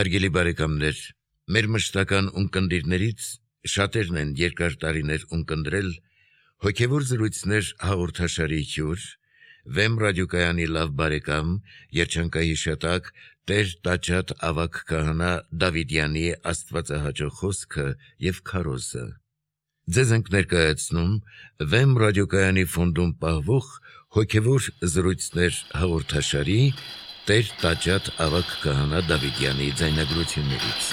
Հարգելի բարեկամներ, մեր մշտական ունկնդիրներից շատերն են երկար տարիներ ունկնդրել հոգևոր զրույցներ հաղորդաշարի հյուր, Վեմ ռադիոկայանի լավ բարեկամ, երջանկահիշատակ Տեր Տաճատ ավագ քահանա Դավիդյանի աստվածահաճո խոսքը եւ քարոզը։ Ձեզ ենք ներկայացնում Վեմ ռադիոկայանի ֆոնդում պահվող հոգևոր զրույցներ հաղորդաշարի Տեր Տաճատ ավագ քահանա Դավիդյանի ձայնագրություններից։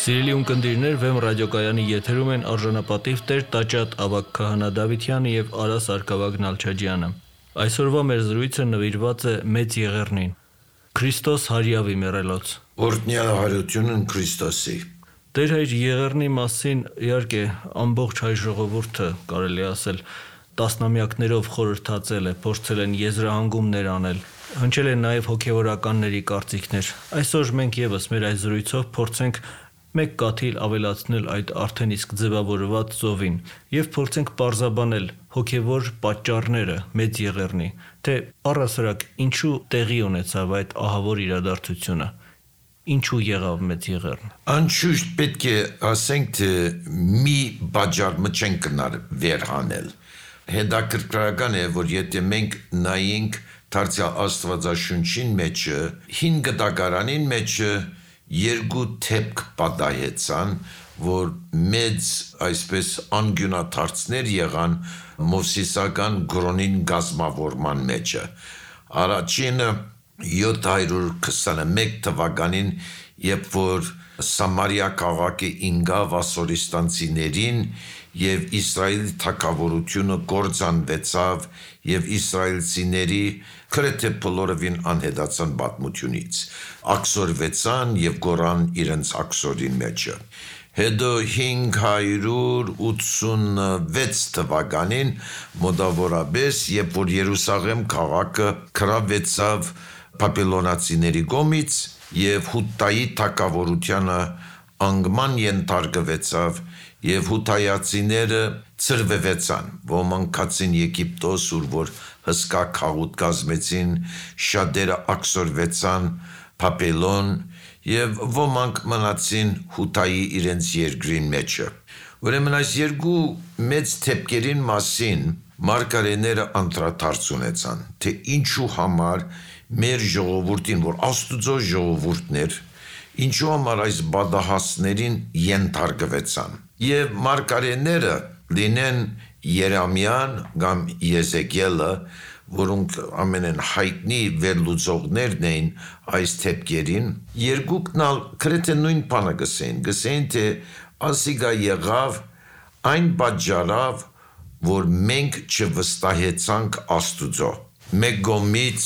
Սիրելի ունկնդիրներ, Վեմ ռադիոկայանի եթերում են արժանապատիվ Տեր Տաճատ ավագ քահանա Դավիդյանը եւ Արա Սարգսակ Նալչաջյանը։ Այսօրվա մեր զրույցը նվիրված է Մեծ Եղեռնին։ Քրիստոս հարյավի մեռելոց։ Օրհնյալ հարությունն Քրիստոսի։ Տեր հայր Եղեռնի մասին իհարկե ամբողջ հայ ժողովուրդը կարելի ասել տասնամյակներով խորհրդածել է, փորձել են եզրահանգումներ անել, հնչել են նաև հոգևորականների կարծիքներ։ Այսօր մենք եւս մեր այս զրույցով փորձենք մեկ կաթիլ ավելացնել այդ արդեն իսկ ձևավորված ծովին եւ փորձենք պարզաբանել հոգևոր պատճառները Մեծ Եղեռնի, թե առասարակ ինչու տեղի ունեցավ այդ ահավոր իրադարձությունը։ Ինչու եղավ Մեծ Եղեռն։ Անշուշտ պետք է ասենք, թե մի բաժարմը չեն կնար վերհանել։ Հետաքրքրական է, որ եթե մենք նայենք Դարձյալ Աստվածաշունչին մեջը, 5 դակարանին մեջը երկու թեփք պատահեցան, որ մեծ այսպես անգյունաթարցներ եղան Մովսիսական գրոնին գազմավորման մեջը։ Առաջինը 721 թվականին, երբ որ Սամարիա քաղաքը ինգավ ասորիստանցիներին եւ Իսրայելի թագավորությունը կործանվեցավ եւ իսրայելցիների քրեթե բոլորովին անհետացան պատմությունից, աքսորվեցան եւ գորան իրենց աքսորին մեջը։ Հետո 586 թվականին մոտավորապես, երբ որ Երուսաղեմ քաղաքը քրավեցավ Բաբելոնացիների կողմից եւ Հուտայի թագավորությանը անգման ենթարկվեցավ եւ հութայացիները ծրվեցան, ոմանք կացին Եգիպտոս, ուր որ հսկա քաղուտ կազմեցին, շատերը աքսորվեցան Բաբելոն եւ ոմանք մնացին Հուտայի իրենց երկրին մեջը։ Ուրեմն այս երկու մեծ թեփքերին մասին մարգարեները անդրադարձ ունեցան, թե ինչու համար մեր ժողովուրդին, որ Աստուծո ժողովուրդն էր, ինչու համար այս բադահասներին ենթարկվեցան։ Եվ մարգարեները լինեն Երեմիան կամ Եզեկիելը, որոնք ամենեն հայտնի վերլուծողներն էին այս թեփքերին, երկուքն ալ քրեթե նույն բանը գսեին, թե ասիգա եղավ այն պատճառով, որ մենք չվստահեցանք Աստուծո։ Մեկ կողմից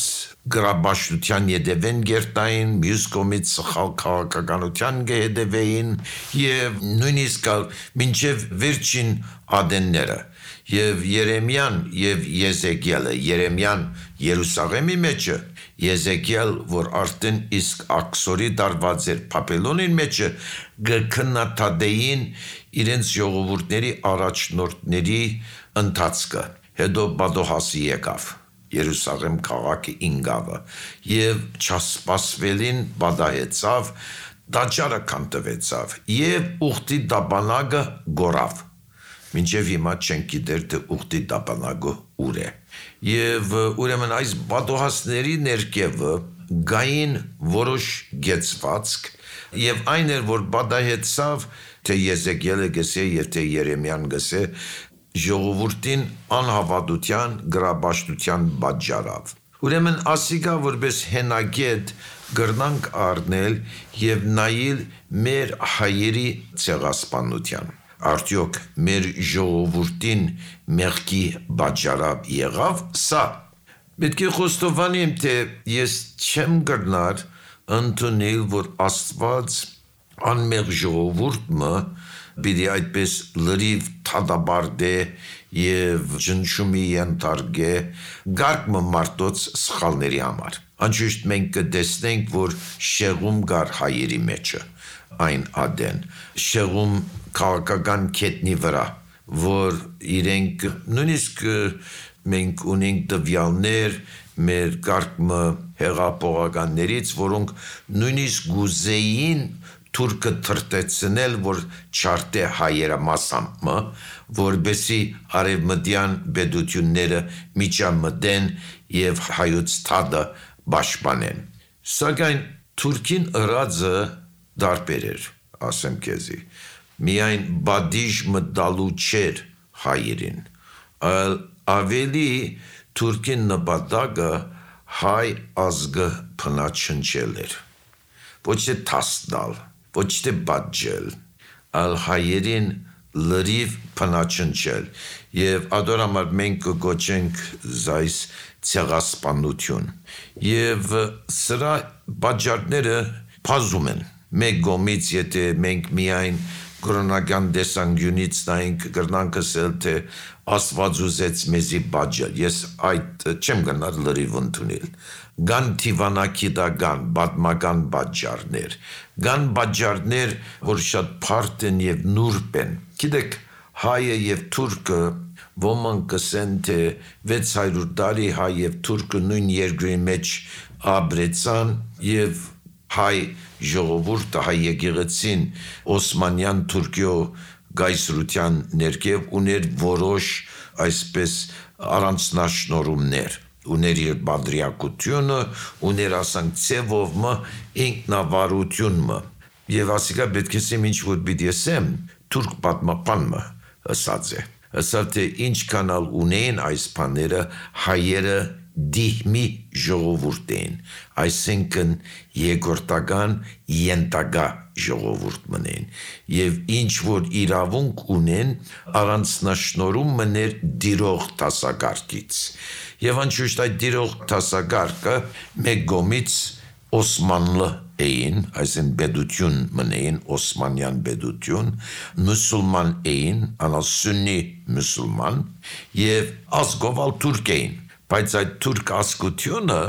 գրաբաշխության ետևեն գերտային, մյուս կողմից սխալ քաղաքականության կհետևեին եւ նույնիսկ մինչեւ վերջին ադենները։ Եվ Երեմիան եւ Եզեկիելը, Երեմիան Երուսաղեմի մեջը, Եզեկիել, որ արդեն իսկ աքսորի դարված էր Բաբելոնին մեջը, գքննադեին իրենց ժողովուրդների առաջնորդների ընթացքը։ Հետո Բադոհասի եկավ Երուսաղեմ քաղաքի ինգավը եւ չասպասվելին բադահեցավ, դաճարը կանտվեցավ եւ ուխտի դաբանագը գորավ։ Մինչև հիմա չենք գիտեր, թե ուխտի դաբանագը ուր է։ Եվ ուրեմն այս բադոհասների ներքևը գային որոշ գեցվածք եւ այն էր, որ բադահեցավ, թե Եզեկիելը գսե եւ թե Երեմիան գսե, ժողովուրդին անհավատության, գրաբաշխության պատճառով։ Ուրեմն ասիկա որպես հենագետ գրնանք առնել եւ նայել մեր հայերի ցեղասպանության։ Արդյոք մեր ժողովուրդին մեղքի պատճառով եղավ սա։ Պետք է խոստովանեմ, թե ես չեմ գրնար ընդունել, որ Աստված անմեղ ժողովուրդը պիտի այդպես լրիվ թադաբարդե եւ ջնշումի ենթարկե գարկմը մարդոց սխալների համար։ Անշուշտ մենք կտեսնենք, որ շեղում կար հայերի մեջը, այն ադեն, շեղում քաղաքական քետնի վրա, որ իրենք նույնիսկ մենք ունենք տվյալներ մեր կարգը հեղափոխականներից, որոնք նույնիսկ գուզեին թուրքը թրտեցնել, որ չարտե հայերը մասամբ, որբեսի արևմտյան բեդությունները միջամտեն եւ հայոց թադը պաշտպանեն։ Սակայն Թուրքին ըրածը դարբեր էր, ասեմ քեզի։ Միայն բադիժ մտալու չէր հայերին, այլ ավելի Թուրքին նպատակը հայ ազգը փնաչնչել էր։ Ոչ թե տասնալ, ոչ թե բաժել, այլ հայերին լրիվ փնաչնչել։ Եվ ադորամար մենք կգոչենք զայս ցեղասպանություն։ Եվ սրա բաժարները բազում են։ Մեկ գոմից եթե մենք միայն կրոնական տեսանկյունից նայենք կրնանք ասել թե Աստված ուզեց մեզի բաժել։ Ես այդ չեմ գնալ լրիվ ընդունել։ Կան թիվանակիտական, պատմական բաժարներ, կան բաժարներ, որ շատ բարդ են եւ նուրբ են։ Գիտեք, հայը եւ թուրքը ոմանք կսեն թե 600 տարի հայ եւ թուրքը նույն երկրի մեջ ապրեցան եւ հայ ժողովուրդը հայ եկեղեցին Օսմանյան Թուրքիո գայսրության ներքև ուներ որոշ այսպես առանձնաշնորհումներ, ուներ իր բադրիակությունը, ուներ ասանք ցևովը ինքնավարությունը եւ ասիկա պետք է ասեմ ինչ որ պիտի ասեմ թուրք պատմապանը ասած է ասալ թե ինչքանալ ունեն այս բաները հայերը դիհմի ժողովուրդ են, այսինքն երկրորդական ենտագա ժողովուրդ մնեն, և ինչ որ իրավունք ունեն առանձնաշնորհում մներ դիրող տասագարկից, և անշուշտ այդ դիրող տասագարկը մեկ գոմից Օսմանլը էին, այսին բեդություն մնեին, Օսմանյան բեդություն, մուսուլման էին, անալ սուննի մուսուլման, և ազգովալ թուրք էին, բայց այդ թուրք ազգությունը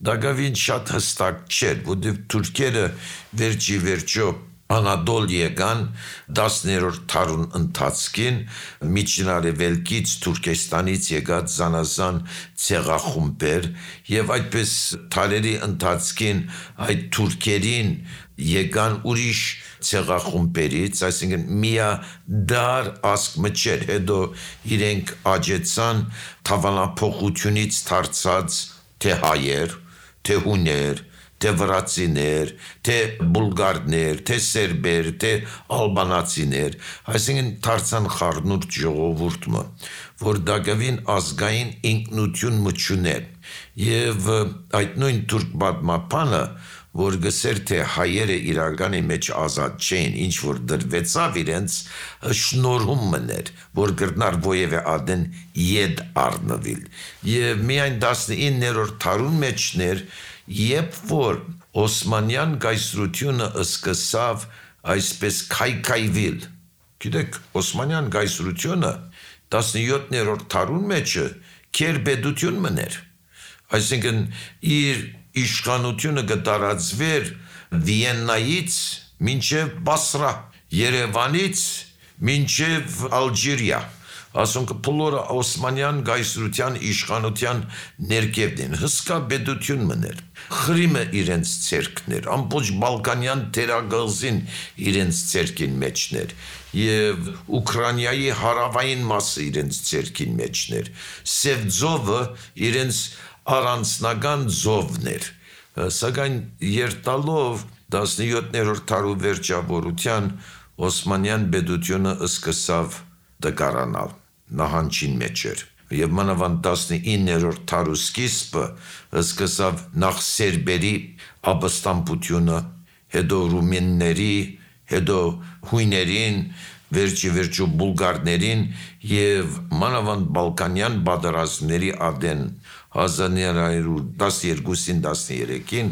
դակավին շատ հստակ չէր, որտեղ թուրքերը վերջի վերջո Անադոլ եկան 10-րդ դարուն ընթացքին միջինարևելքից Թուրքեստանից եկած զանազան ցեղախումբեր եւ այդպես տարերի ընթացքին այդ թուրքերին եկան ուրիշ ցեղախումբերից, այսինքն միա դար ազգ մջեր, հետո իրենք աճեցան թավանափոխությունից դարձած թե հայեր, թե հուներ, թե վրացիներ, թե բուլգարներ, թե սերբեր, թե ալբանացիներ, այսինքն դարձան խառնուրդ ժողովուրդը, որ դակավին ազգային ինքնություն մչուներ, եւ այդ նույն թուրք պատմապանը, որ գսեր թե հայերը իրականի մեջ ազատ չէին, ինչ որ դրվեցավ իրենց շնորհում մներ, որ գրնար ովևէ ադեն եդ առնվիլ, եւ միայն 19-րդ դարուն մեջներ Երբ որ Օսմանյան գայսրությունը սկսավ այսպես քայքայվել, գիտեք, Օսմանյան գայսրությունը 17-րդ դարուն մեջը քերբեդություն մներ, այսինքն իր իշխանությունը կտարածվեր Վիեննայից մինչև Բասրա, Երևանից մինչև Ալժիրիա, ասոնք բոլորը Օսմանյան գայսրության իշխանության ներքևն են, հսկա բեդություն մներ, Խրիմը իրենց ցերկներ, ամբողջ Բալկանյան թերագազին իրենց ցերկին մեջներ, եւ Ուկրաինայի հարավային մասը իրենց ցերկին մեջներ, Սևձովը իրենց առանձնական զովներ, սակայն երտալով 17-րդ դարու վերջավորության Օսմանյան բեդությունը սկսավ դկարանալ նահանջին մեջ էր եւ մանավանդ 19-րդ դարու սկիզբը սկսավ նախ սերբերի ապստամբությունը, հետո ռումինների, հետո հույներին, վերջի բուլգարներին եւ մանավանդ բալկանյան պատերազմների ադեն 1912-13-ին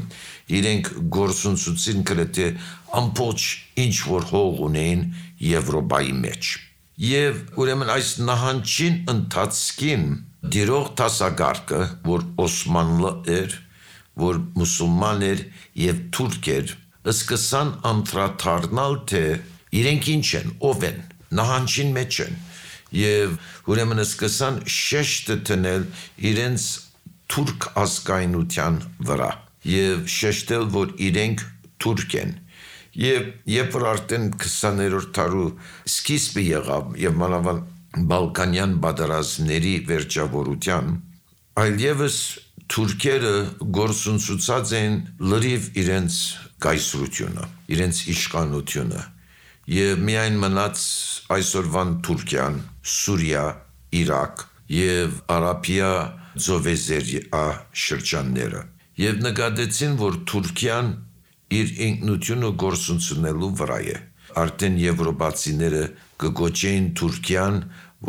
իրենք գործունեություն գրեթե ամբողջ ինչ որ հող ունեին Եվրոպայի մեջ Եվ ուրեմն այս նահանջին ընթացքին դիրող տասագարկը, որ Օսմանլը էր, որ մուսուլման էր եւ թուրք էր, սկսան անդրադառնալ թե իրենք ինչ են, ով են, նահանջին մեջ են եւ ուրեմն սկսան շեշտը տնել իրենց թուրք ազգայնության վրա եւ շեշտել, որ իրենք թուրք են։ Եվ երբ որ արդեն 20-րդ դարու սկիզբը եղավ եւ մանավանդ Բալկանյան պատերազմների վերջավորության, այլևս թուրքերը գործունեացած են լրիվ իրենց կայսրությունը, իրենց իշխանությունը եւ միայն մնաց այսօրվան Թուրքիան, Սուրիա, Իրաք եւ Արաբիա ծովեզերիա շրջանները եւ նկատեցին, որ Թուրքիան իր ինքնությունը գործունեացնելու վրա է։ Արդեն եվրոպացիները կգոչեին Թուրքիան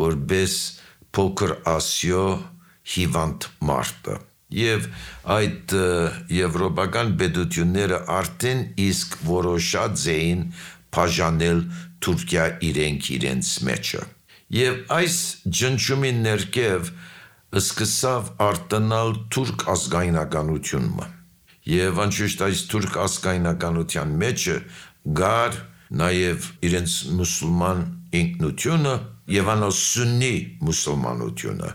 որպես փոքր Ասիա հիվանդ մարդը։ Եվ այդ եվրոպական պետությունները արդեն իսկ որոշած էին բաժանել Թուրքիա իրենց մեջը։ Եվ այս ջնջումի ներքև սկսավ արտանալ թուրք ազգայնականությունը։ Եվ անշուշտ այս թուրք ազգայնականության մեջը գար նաև իրենց մուսուլման ինքնությունը եւ անոս սուննի մուսուլմանությունը,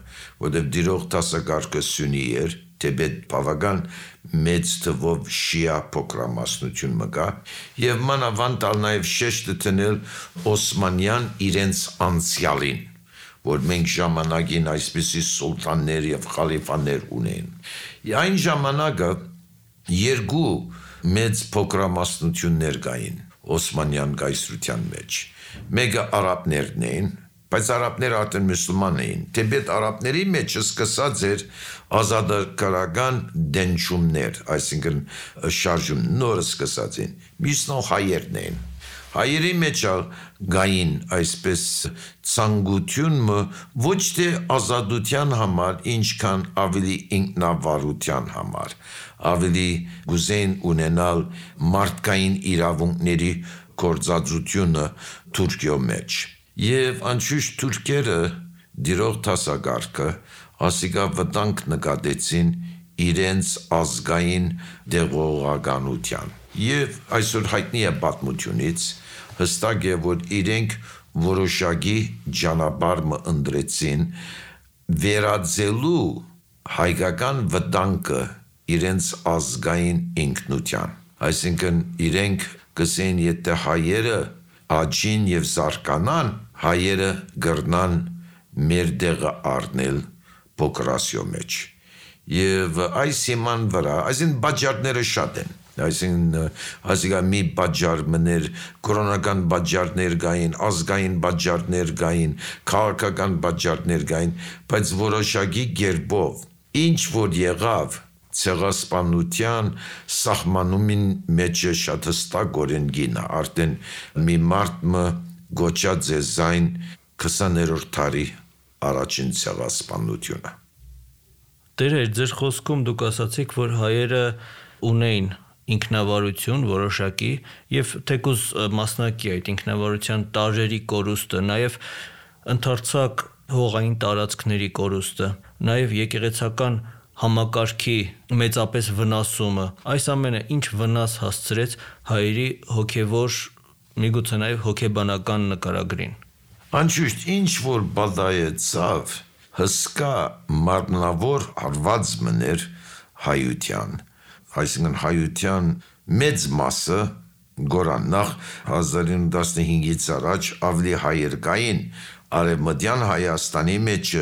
որտեղ դիրող դասակարգը սուննի էր, թեպետ բավական մեծ թվով շիա փոքրամասնություն մգա, եւ մանավանդ նաև շեշտը տնել Օսմանյան իրենց անցյալին, որ մենք ժամանակին այսպիսի սուլտաններ եւ խալիֆաներ ունեն։ Այն ժամանակը երկու մեծ փոքրամասնություններ կային Օսմանյան կայսրության մեջ։ Մեկը արաբներն էին, բայց արաբները արդեն մուսուլման էին։ Թեպետ արաբների մեջ սկսած էր ազատագրական դենչումներ, այսինքն շարժում նոր սկսած են։ Մյուսն հայերն էին։ Հայերի մեջ գային այսպես ցանկությունը ոչ թե ազատության համար, ինչքան ավելի ինքնավարության համար, ավելի գուզեն ունենալ մարդկային իրավունքների գործածությունը Թուրքիո մեջ։ Եվ անշուշտ թուրքերը դիրող դասակարգը ասիկա վտանգ նկատեցին իրենց ազգային դեղողականության։ Եվ այսօր հայտնի է պատմությունից հստակ է, որ իրենք որոշակի ճանապարհ ընտրեցին վերածելու հայկական վտանգը իրենց ազգային ինքնության։ Այսինքն իրենք կսեն, եթե հայերը աճին եւ զարգանան, հայերը գրնան մեր դեղը առնել փոքրասիո մեջ։ Եվ այս հիման վրա, այսին բաժարները շատ են։ Այսինքն մի բաժար մներ, կրոնական բաժարներ կային, ազգային բաժարներ կային, քաղաքական բաժարներ կային, բայց որոշակի կերպով ինչ որ եղավ ցեղասպանության սահմանումին մեջ շատ հստակորեն գինա, արդեն մի մարդը գոչած է զայն 20-րդ դարի առաջին ցեղասպանությունը։ Տեր, ձեր խոսքում դուք ասացիք, որ հայերը ունեին ինքնավարություն որոշակի եւ թեկուզ մասնակի այդ ինքնավարության տարրերի կորուստը, նաեւ ընդարձակ հողային տարածքների կորուստը, նաեւ եկեղեցական համակարգի մեծապես վնասումը, այս ամենը ինչ վնաս հասցրեց հայերի հոգևոր, միգուցե նաեւ հոգեբանական նկարագրին։ Անշուշտ ինչ որ բադայեցավ հսկա մարմնավոր հարված մներ հայության, այսինքն հայության մեծ մասը գորաննախ 1915-ից առաջ ավելի հայեր կային արևմտյան Հայաստանի մեջ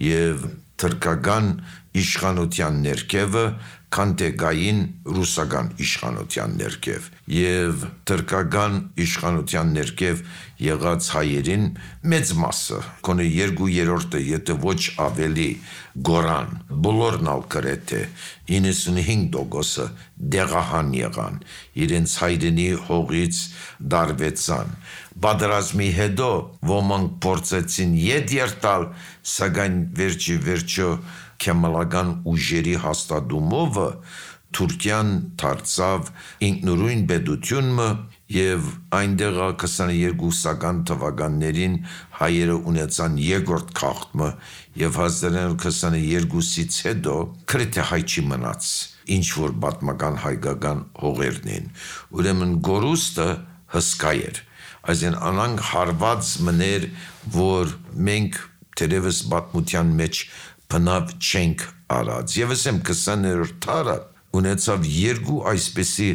եւ թրկական իշխանության ներքևը, քան թե գային ռուսական իշխանության ներքև եւ թրկական իշխանության ներքև եղած հայերին մեծ մասը, կոնե 2/3-ը, եթե ոչ ավելի գորան, բոլորն ալ գրեթե 95%-ը դեղահան եղան, իրենց հայրենի հողից դարվեցան։ Պատերազմի հետո ոմանք փորձեցին ետ երթալ, սակայն վերջո քեմալական ուժերի հաստատումով Թուրքիան դարձավ ինքնուրույն պետությունը եւ այնտեղ 22-ական թվականներին հայերը ունեցան երկրորդ քաղաքը եւ 1922-ից հետո քրեթե հայ չի մնաց, ինչ որ պատմական հայկական հողերն են։ Ուրեմն գորուստը հսկա էր։ այսին անանք հարված մներ, որ մենք թերևս պատմության մեջ բնավ չենք արած։ Եվ ասեմ 20-րդ դարը ունեցավ երկու այսպիսի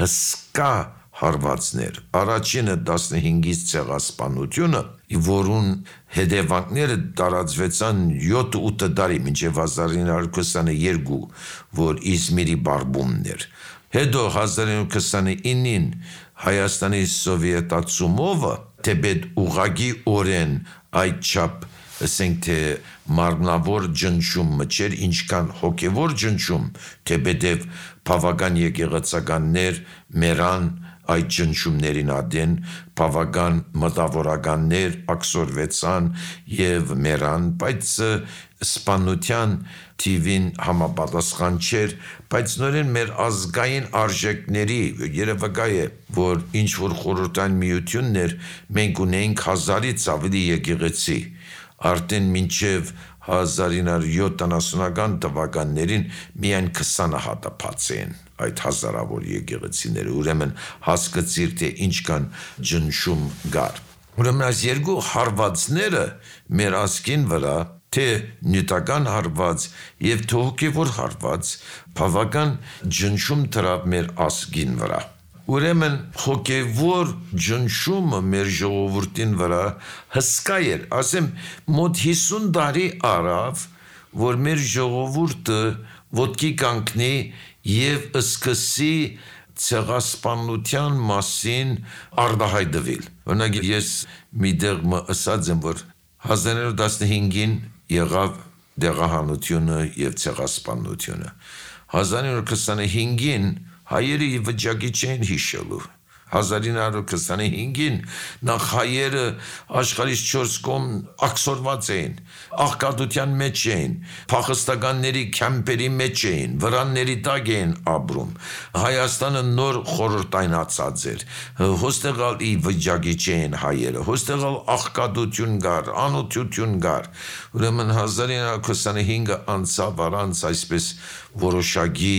հսկա հարվածներ։ Առաջինը 15-ից ցեղասպանությունը, որուն հետևանքները տարածվեցան 7-8 տարի մինչև 1922, որ Իզմիրի բարբումն էր։ Հետո 1929-ին Հայաստանի սովետացումովը թեպետ ուղագի օրեն այդ չափ ասենք թե մարմնավոր ջնջումը չէր, ինչքան հոգևոր ջնջում, թեպետև բավական եկեղեցականներ մերան այդ ջնջումներին ադեն, բավական մտավորականներ ակսորվեցան եւ մերան, բայց սպանության թիվին համապատասխան չէր, բայց նորեն մեր ազգային արժեքների երևակայ է, որ ինչ որ խորհրդային միություններ մենք ունենք 1000-ից ավելի եկեղեցի, արդեն մինչև 1970-ական թվականներին միայն 20 հատապած են այդ հազարավոր եկեղեցիները, ուրեմն հասկացիր թե ինչքան ջնջում գար։ Ուրեմն այս երկու հարվածները մեր ազգին վրա, թե նյութական հարված եւ թե հոգեվոր հարված, բավական ջնջում դրավ մեր ազգին վրա։ Ուրեմն հոգևոր ջնջումը մեր ժողովրդին վրա հսկա էր, ասեմ մոտ 50 տարի արավ, որ մեր ժողովուրդը ոտքի կանգնի եւ սկսի ցեղասպանության մասին արտահայտվել։ Օրինակ ես մի դեղ ասած եմ, որ 1915-ին եղավ դեղահանությունը եւ ցեղասպանությունը։ 1925-ին հայերը վիճակի չեն հիշելու։ 1925-ին նախ հայերը աշխարհից 4 կողմ ակսորված էին, աղքատության մեջ էին, փախստականների քամպերի մեջ էին, վրանների տակ էին ապրում։ Հայաստանը նոր խորհրդայնացած էր, հոստեղալ ի վիճակի չեն հայերը, հոստեղալ աղքատություն կար, անօթյություն կար։ Ուրեմն 1925-ը անցավ առանց այսպես որոշակի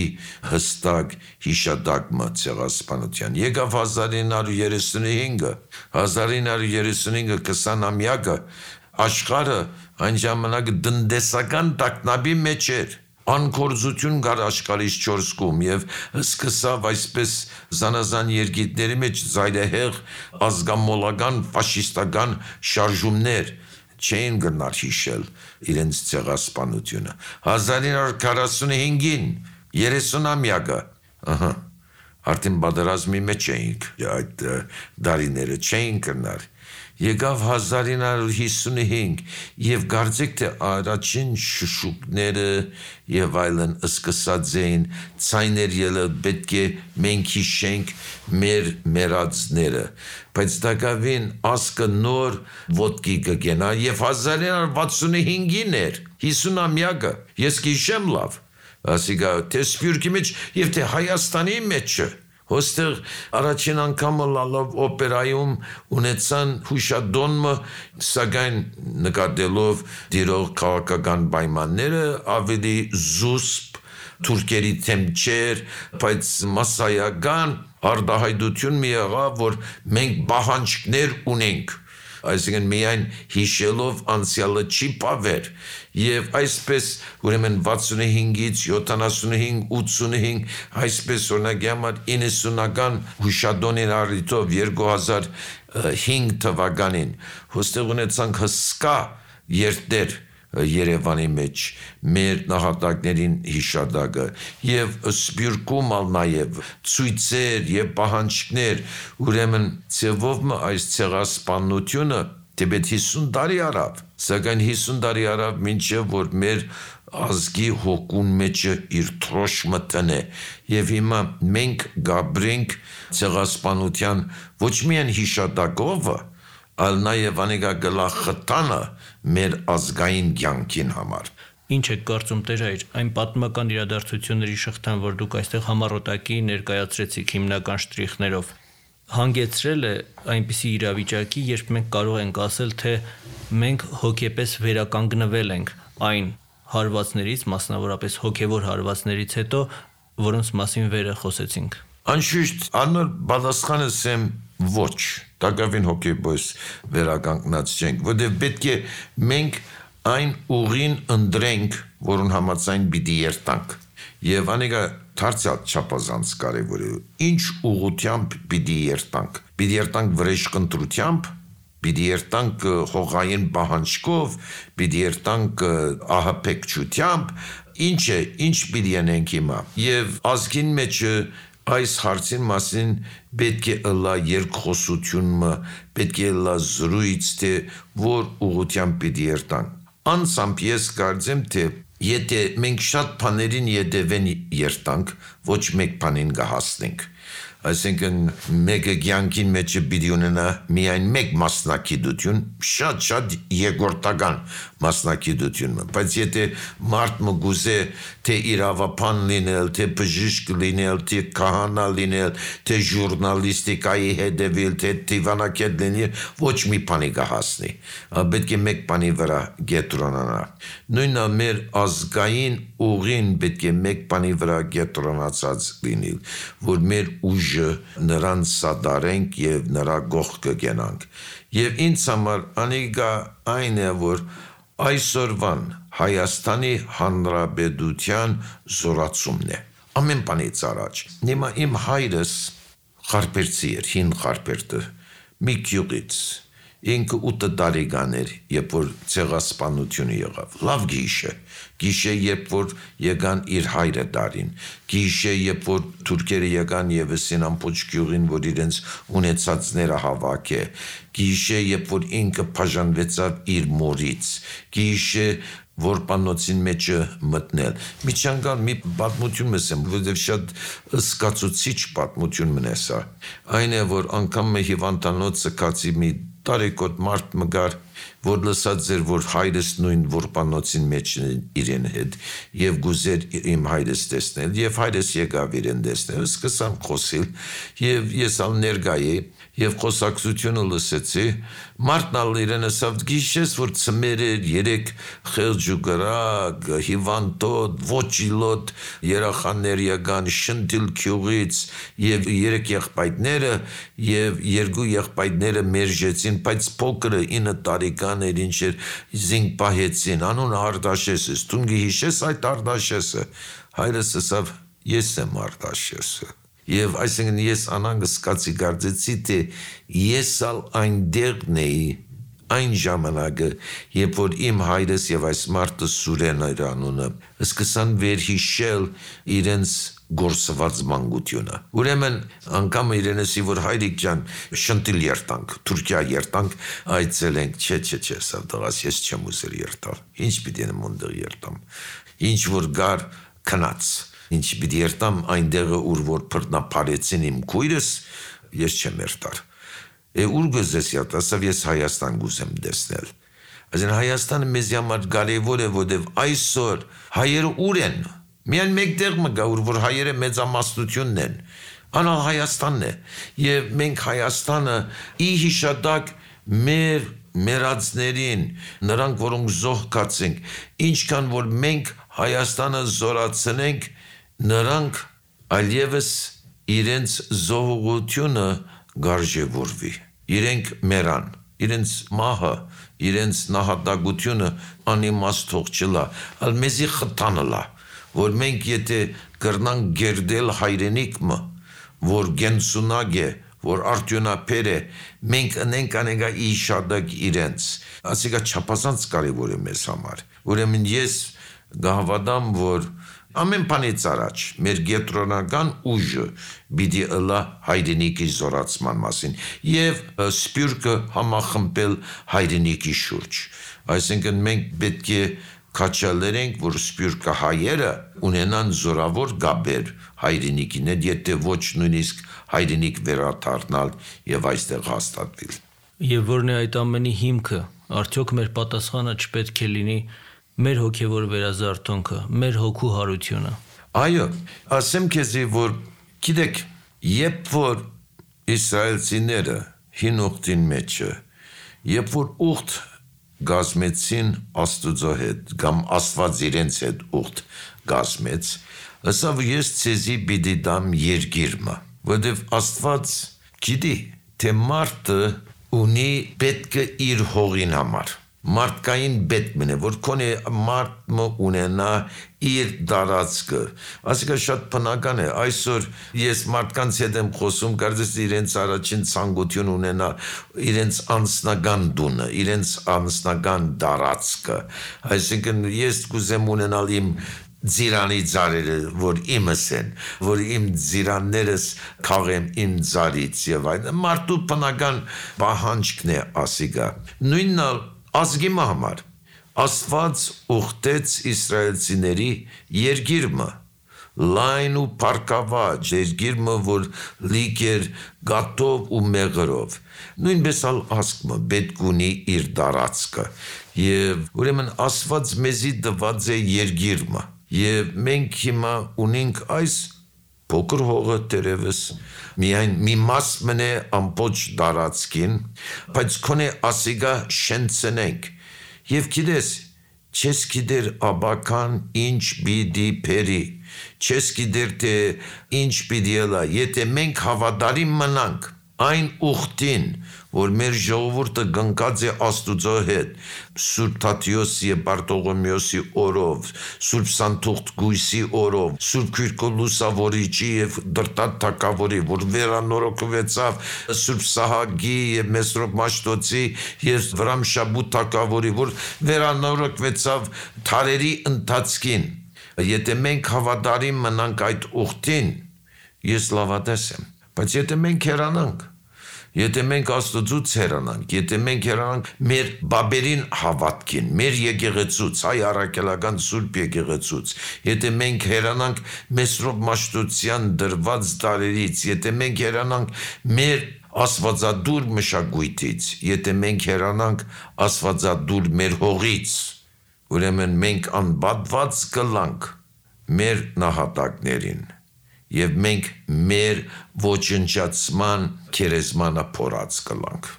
հստակ հիշատակը ցեղասպանության։ Եկավ 1935-ը, 20-ամյակը աշխարհը այն ժամանակ տնտեսական տագնապի մեջ էր։ Անկորձություն կար աշխարհից 4 կողմ եւ սկսավ այսպես զանազան երկիրների մեջ զայրահեղ ազգամոլական ֆաշիստական շարժումներ չեն գնար հիշել իրենց ցեղասպանությունը։ 1945-ին 30-ամյակը, արդեն պատերազմի մեջ էինք, այդ դարիները չէին գնար։ Եկավ 1955 եւ կարծեք թե առաջին շշուկները եւ այլն սկսած էին ցայներ ելը պետք է մենք հիշենք մեր մեռածները, բայց դակավին ասկը նոր ոտքի կգենա եւ 1965-ին էր 50-ամյակը, ես կհիշեմ լավ, ասիկա թե Սփյուռքի մեջ եւ թե Հայաստանի մեջը հոստեղ առաջին անգամը լալով օպերայում ունեցան հուշադոնմը, սակայն նկատելով դիրող քաղաքական պայմանները ավելի զուսպ թուրքերի թեմ չէր, բայց մասսայական արտահայտություն մի եղավ, որ մենք պահանջներ ունենք, այսինքն միայն հիշելով անցյալը չի պավեր եւ այսպես ուրեմն 65-ից 75, 85, այսպես օրինակ համար 90-ական հուշադոնին առիթով 2005 թվականին հոստեղ ունեցանք հսկա երթեր Երևանի մեջ մեր նահատակներին հիշադակը եւ Սփյուռքում ալ նաեւ ցույցեր եւ պահանջներ ուրեմն ցևով այս ցեղասպանությունը դեպի 50 տարի արավ սակայն 50 տարի արավ մինչեւ որ մեր ազգի հոգուն մեջը իր թրոշմը տնե եւ հիմա մենք գաբրենք ցեղասպանության ոչ միայն հիշադակովը այլ նաև անիկա գլախտանը մեր ազգային կյանքին համար։ Ինչ է կարծում Տեր-հայր, այն պատմական իրադարձությունների շղթան, որ դուք այստեղ համառոտակի ներկայացրեցիք հիմնական շտրիխներով, հանգեցրել է այնպիսի իրավիճակի, երբ մենք կարող ենք ասել, թե մենք հոգեպես վերականգնվել ենք այն հարվածներից, մասնավորապես հոգևոր հարվածներից հետո, որոնց մասին վերը խոսեցինք։ Անշուշտ անոր պատասխանը սեմ ոչ, տակավին հոգեբոյս վերականգնած չենք, որտեղ պետք է մենք այն ուղին ընտրենք, որուն համաձայն պիտի երթանք։ Եվ անիկա դարձյալ չափազանց կարևոր է։ Ինչ ուղղությամբ պիտի երթանք։ Պիտի երթանք վրեժխնդրությամբ, պիտի երթանք հողային պահանջկով, պիտի երթանք ահապեկչությամբ, ինչ պիտի անենք հիմա։ Եվ ազգին մեջ այս հարցին մասին պետք է ըլլա երկխոսությունը, պետք է ըլլա զրույց, թե որ ուղղությամբ պիտի երթանք։ Անցամբ ես կարծեմ, թե եթե մենք շատ բաներին ետևեն երթանք, ոչ մեկ բանին կհասնենք։ Այսինքն մեկը կյանքին մեջ պիտի ունենա միայն մեկ մասնակցություն, շատ երկրորդական մասնակցություն, բայց եթե մարդը գուզե թե իրավապան լինել, թե բժիշկ լինել, թե քահանա լինել, թե ժուրնալիստիկայի հետևել, թե դիվանագետ լինել, ոչ մի բանի կհասնի, պետք է մեկ բանի վրա կենտրոնանա։ Նույնը մեր ազգային ուղին պետք է մեկ բանի վրա կենտրոնացած լինի, որ մեր ուժը նրան սադարենք եւ նրա գողքը գնանք։ Եվ ինձ համար անիկա այն է, որ այսօրվան Հայաստանի Հանրապետության զորացումն է։ Ամեն բանից առաջ։ Հիմա իմ հայրս խարպերցի էր, հին խարպերտը, մի գյուղից։ Ինքը 8 տարեկան էր, երբ որ ցեղասպանությունը եղավ։ Լավ գիշե, երբ որ եկան իր հայրը դարին։ Գիշե, երբ որ թուրքերը եկան եւ Սինամփոչ գյուղին, որ իրենց ունեցածները հավաք է։ Գիշե, երբ որ ինքը բաժանվեցավ իր մորից։ Գիշե, որ պանոցին մեջը մտնել։ Միջանկալ մի պատմություն մսեմ, որովհետև շատ սկացուցիչ պատմություն մնեսա։ Այն է, որ անգամ հիվանդանոցը կացի մի տարեկոտ մարդ մգար, որ լսած էր, որ հայրս նույն որպանոցին մեջ իրեն հետ եւ գուզեր իմ հայրս տեսնել եւ հայրս եկավ իրեն տեսնել, սկսան խոսել եւ ես ալ ներգայի եւ խոսակցությունը լսեցի, մարդն ալ իրեն ասավ գիշես որ ծմեր էր 3 խելջուգրակ, հիվանդոտ, ոչիլոտ երախաներ եկան շնտիլ քյուղից եւ 3 եղբայրները եւ 2 եղբայրները մերժեցին, բայց փոքրը 9 տարեկան էր, ինչ էր զինք պահեցին, անուն Արտաշեսը, դու գիշես այդ Արտաշեսը, հայրս ասավ ես եմ Արտաշեսը։ Եվ այսինքն ես անանգ սկացի կարծեցի, թե ես ալ այնտեղն էի այն ժամանակը, երբ որ իմ հայրս եւ այս մարդը Սուրեն էր անունը, սկսան վերհիշել իրենց գործված մանկությունը։ Ուրեմն անգամ իրենեսի որ հայրիկ ջան շնտիլ երտանք, Թուրքիա երտանք, այցելենք, չէ, սա դղաս ես չեմ ուզել երտալ։ Ինչ պիտի մոնդեղ երտամ։ Ինչ որ գար քնած։ Ինչ պիտի երտամ այնտեղը ուր որ բռնապարեցին իմ քույրս, ես չեմ երտար։ Ուր գուզես երտասավ ես Հայաստան գուզեմ տեսնել։ Այսինքն Հայաստանը մեզ համար կարևոր է, որովհետև այսօր հայերը ուր են։ Միայն մեկտեղ մգա ուր որ հայերը մեծամասնությունն են։ Անալ Հայաստանն է։ Եվ մենք Հայաստանը ի հիշադակ մեր մերածներին, նրանք որոնք զոհկացենք, ինչքան որ մենք Հայաստանը զորացնենք, նրանք այլևս իրենց զոհողությունը գարժևորվի, իրենք մերան, իրենց մահը, իրենց նահատակությունը անիմաստ թող չլա, ալ մեզի խթանլա, որ մենք եթե կրնանք գերդել հայրենիքը, որ գենսունակ է, որ արդյունաբեր է, մենք ընենք անեգա իշադակ իրենց, ասիկա չափազանց կարևոր է մեզ համար, ուրեմն ես գահվադամ, որ ամեն բանից առաջ մեր գետրոնական ուժը պիտի ըլլա հայրենիքի զորացման մասին եւ սպյուրքը համախմբել հայրենիքի շուրջ։ Այսինքն մենք պետք է քաչալերենք, որ սպյուրքը հայերը ունենան զորավոր գաբեր հայրենիքին, եթե ոչ նույնիսկ հայրենիք վերադառնալ եւ այստեղ հաստատվել։ Եվ որն է այդ ամենի հիմքը, արդյոք մեր պատասխանը չպետք է լինի մեր հոգևոր վերազարթոնքը, մեր հոգու հարությունը։ Այո, ասեմ քեզի, որ գիտեք, երբ որ իսրայելցիները հին ուխտին մեջը, երբ որ ուխտ գազմեցին Աստուծո հետ, կամ Աստված իրենց հետ ուխտ գազմեց, ասավ ես ցեզի պիտի դամ երկիրը, որովհետև Աստված գիտի, թե մարդը ունի պետք է իր հողին համար մարդկային պետք մնե, որ կոնե մարդը ունենա իր դարածքը։ Այսինքն շատ բնական է, այսօր ես մարդկանց հետ եմ խոսում, կարծես իրենց առաջին ցանկություն ունենա իրենց անձնական դունը, իրենց անձնական դարածքը։ Այսինքն ես կուզեմ ունենալ իմ ձիրանի ծառերը, որ իմս են, որ իմ ձիրաններս քաղեմ իմ ծառից եւ այլն։ Մարդու բնական պահանջքն է ասիկա։ Նույնն ազգի համար Աստված ուխտեց իսրայելցիների երկիրը լայն ու փառքաված երկիրը որ լիք էր գատով ու մեղրով նույնպես ալ ազգը պետք ունի իր դարածքը եւ ուրեմն Աստված մեզի տված է երկիրը եւ մենք հիմա ունենք այս փոքր հողը դերևս միայն մի մաս մնե ամբողջ դարածքին, բայց քոնե ասիգա շենցնենք, եւ գիտես, չես գիտեր աբական ինչ պիտի փերի, չես գիտեր թե ինչ պիտի ելա, եթե մենք հավատարիմ մնանք այն ուխտին, որ մեր ժողովուրդը գնկած է Աստուծո հետ, Սուրբ Թադեոսի եւ Բարտողոմեոսի օրով, Սուրբ Սանթուղթ Գույսի օրով, Սուրբ Քյուրքո Լուսավորիչի եւ Դրտատ Թագավորի, որ վերանորոգվեցավ Սուրբ Սահակի եւ Մեսրոպ Մաշտոցի եւ Վրամ Շաբութ Թագավորի, որ վերանորոգվեցավ թարերի ընթացքին։ Եթե մենք հավատարիմ մնանք այդ ուխտին, ես լավատես եմ, բայց եթե մենք հեռանանք, եթե մենք Աստծուց հեռանանք, եթե մենք հեռանանք մեր բաբերին հավատքին, մեր եկեղեցուց, հայ առաքելական Սուրբ եկեղեցուց, եթե մենք հեռանանք Մեսրոպ Մաշտոցյան դրված տարերից, եթե մենք հեռանանք մեր Աստվածադուր մշակույթից, եթե մենք հեռանանք Աստվածադուր մեր հողից, ուրեմն մենք անբատված կլանք մեր նահատակներին եւ մենք մեր ոչնչացման քերեզմանը փորած կլանք։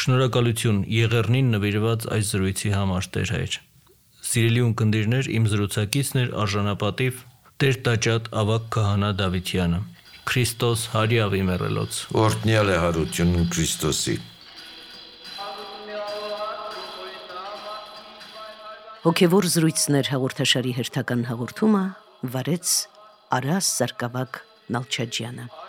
Շնորհակալություն Եղեռնին նվիրված այս զրույցի համար Տեր հայր։ Սիրելի ունկնդիրներ, իմ զրուցակիցն էր արժանապատիվ Տեր տաճատ ավագ քահանա Դավիթյանը։ Քրիստոս հարյավի մեռելոց։ Օրհնյալ է հարությունն Քրիստոսի։ Հոգևոր զրույցներ հաղորդաշարի հերթական հաղորդումը վարեց Արաս Սարգսակ Նալչաջյանը։